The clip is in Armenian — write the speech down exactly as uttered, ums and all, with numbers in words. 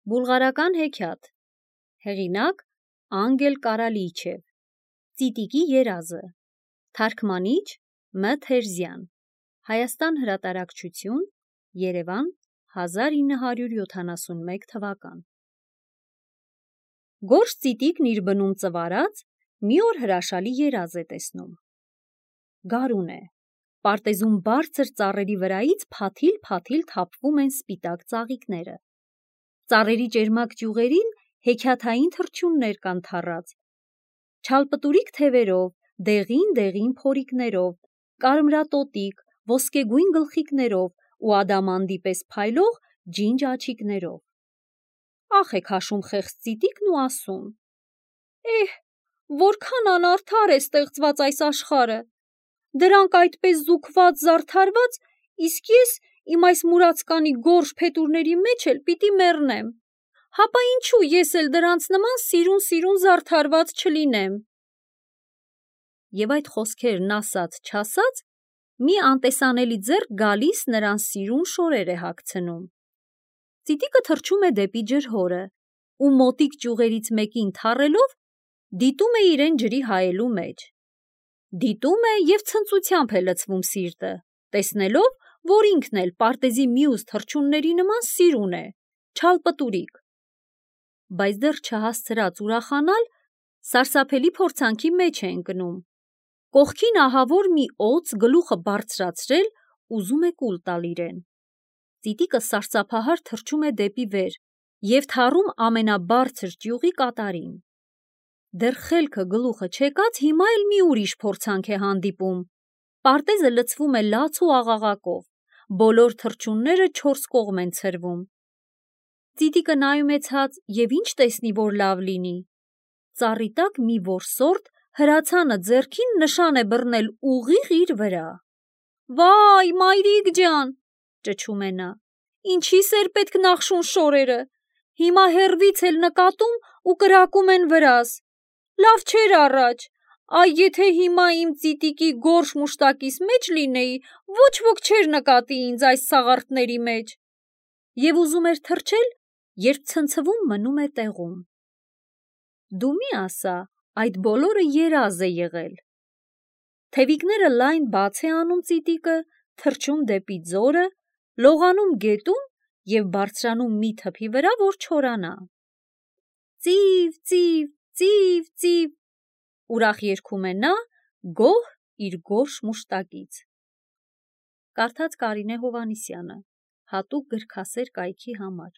Բուլղարական հեքիաթ, հեղինակ Անգել Կարալիչև, Ծիտիկի երազը, թարգմանիչ Մ. Թերզյան, Հայաստան հրատարակչություն, Երևան, հազար ինը հարյուր յոթանասունմեկ թվական։ Գորշ ծիտիկն իր բնում ծվարած մի օր հրաշալի երազ է տեսնում։ Գարուն է, պարտեզում բարձր ծառերի վրայից փաթիլ-փաթիլ թափվում են սպիտակ ծաղիկները։ Ծառերի ճերմակ ճյուղերին հեքիաթային թռչուններ կան թառած, չալպտուրիկ թևերով, դեղին-դեղին փորիկներով, կարմրատոտիկ, ոսկեգույն գլխիկներով ու ադամանդի պես փայլող ջինջ աչիկներով։ Ախ է քաշում խեղճ ծիտիկն ու ասում. «Էհ, որքան անարդար է ստեղծված այս աշխարհը, դրանք այդպես զուգված, զարդարված, իսկ ես իմ այս մուրացկանի գորշ փետուրների մեջ էլ պիտի մեռնեմ, հապա ինչու ես էլ դրանց նման սիրուն-սիրուն զարդարված չլինեմ»։ Եվ այդ խոսքերն ասած-չասած, մի անտեսանելի ձեռք գալիս նրան սիրուն շորեր է հագցնում։ Ծիտիկը թռչում է դեպի ջրհորը ու մոտիկ ճյուղերից մեկին թռելով դիտում է իրեն ջրի հայելու մեջ։ Դիտում է և ցնծությամբ է լցվում սիրտը, տեսնելով, որ ինքն էլ պարտեզի մյուս թռչունների նման սիրուն է, չալպտուրիկ։ Բայց դեռ չհասցրած ուրախանալ, սարսափելի փորձանքի մեջ է ընկնում։ Կողքին ահավոր մի օձ գլուխը բարձրացրել ուզում է կուլ տալ իրեն։ Ծիտիկը սարսափահար թռչում է դեպի վեր և թառում ամենաբարձր ճյուղի կատարին։ Դեռ խելքը գլուխը չեկած հիմա էլ մի ուրիշ փորձանք է հանդիպում։ Պարտեզը լցվում է լաց ու աղաղակով, բոլոր թռչունները չորս կողմ են ցրվում։ Ծիտիկը նայում է ցած և ինչ տեսնի, որ լավ լինի։ Ծառի տակ մի որսորդ հրացանը ձեռքին նշան է բռնել ուղիղ իր վրա։ «Վա՜յ, մայրիկ ջան», ճչում է նա, «ինչի՞ս էր պետք նախշուն շորերը, հիմա հեռվից էլ նկատում ու կրակում են վրաս, լավ չէր առաջ, այ եթե հիմա իմ ծիտիկի գորշ մուշտակիս մեջ լինեի, ոչ ոք չէր նկատի ինձ այս սաղարթների մեջ»։ Եվ ուզում էր թռչել, երբ ցնցվում մնում է տեղում։ Դու մի ասա, այդ բոլորը երազ է եղել։ Թևիկները լայն բաց է անում ծիտիկը, թռչում դեպի ձորը, լողանում գետում և բարձրանում մի թփի վրա, որ չորանա։ Ծիվ, ծիվ, ծիվ, ծիվ, ուրախ երգում է նա, գոհ իր գորշ մուշտակից։ Կարդաց Կարինե Հովհաննիսյանը, հատուկ գրքասեր կայքի համար։